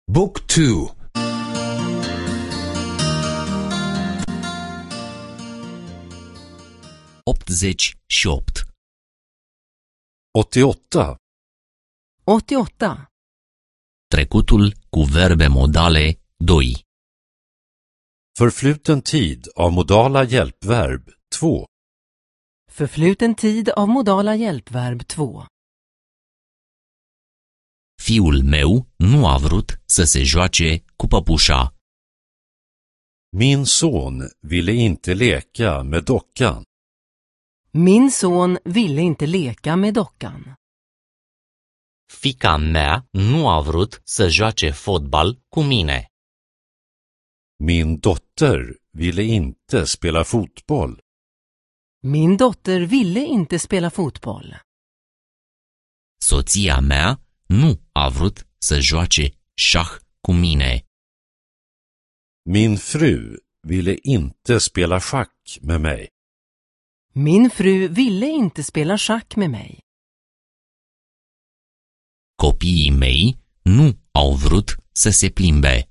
Book 2. 88. 88. 88. Trecutul cu verbe modale 2. Förfluten tid av modala hjälpverb 2. Förfluten tid av modala hjälpverb 2. Fiul meu nu a vrut să se joace cu păpușa. Min son ville inte leka med dockan. Min son ville inte leka med dockan. Fiica mea nu a vrut să joace fotbal cu mine. Min dotter ville inte spela fotboll. Min dotter ville inte spela fotboll. Soția mea nu a vrut să joace șah cu mine. Min fru ville inte spela schack med mig. Min fru ville inte spela schack med mig. Copiii mei nu au vrut să se plimbe.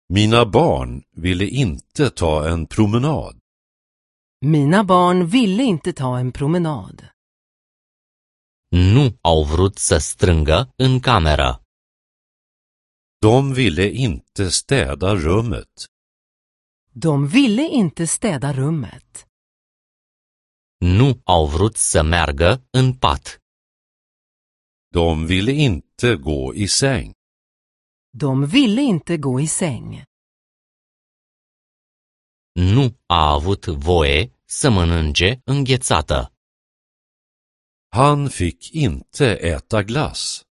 Mina barn ville inte ta en promenad. Mina barn ville inte ta en promenad. Nu au vrut să strângă în cameră. De ville inte städa rummet. De ville inte städa rummet. Nu au vrut să meargă în pat. De ville inte gå i säng. De ville inte gå i säng. Nu a avut voie să mănânce înghețată. Han fick inte äta glass.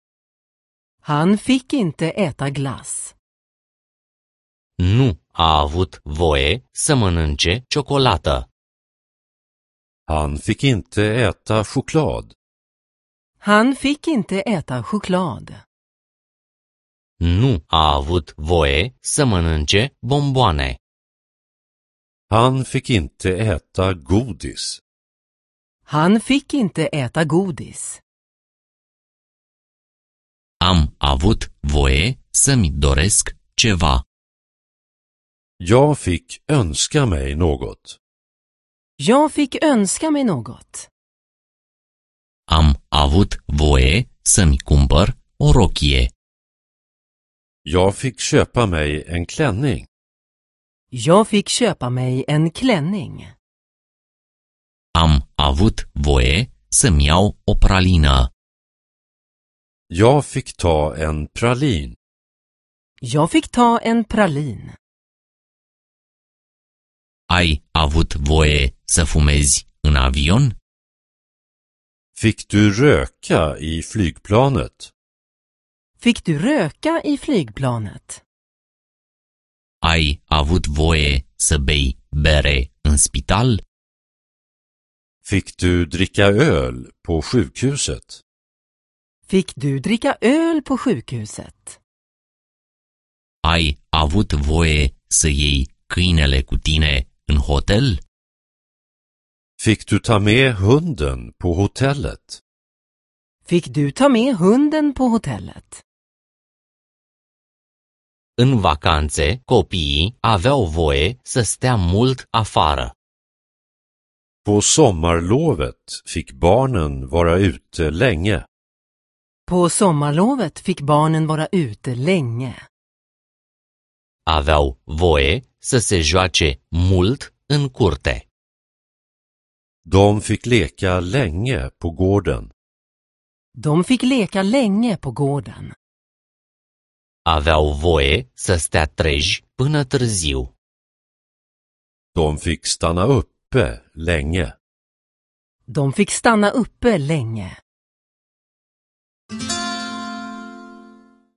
Han fick inte äta glass. Nu a avut voie să mănânce ciocolată. Han fick inte äta choklad. Han fick inte äta choklad. Nu a avut voie să mănânce bomboane. Han fick inte äta godis. Han fick inte äta godis. Am avut voie să-mi doresc ceva. Jag fick önska mig något. Jag fick önska mig något. Am avut voie să-mi cumpăr o rochie. Jag fick köpa mig en klänning. Jag fick köpa mig en klänning. Am avut voie să-mi iau o pralină. Jag fick ta en pralin. Jag fick ta en pralin. Ai avut voie să fumezi în avion? Fick du röka i flygplanet? Fick du röka i flygplanet? Ai avut voie să bei bere în spital? Fick du dricka öl på sjukhuset? Fick du dricka öl på sjukhuset? Ai avut voie să iei câinele cu tine în hotel? Fick du ta med hunden på hotellet? Fick du ta med hunden på hotellet? În vacanțe, copiii aveau voie să stea mult afară. På sommarlovet fick barnen vara ute länge. På sommarlovet fick barnen vara ute länge. Aveau voie să se joace mult în curte. De fick leka länge på gården. De fick leka länge på gården. Aveau voie să stea treji până târziu. De fick stanna uppe länge. De fick stanna uppe länge.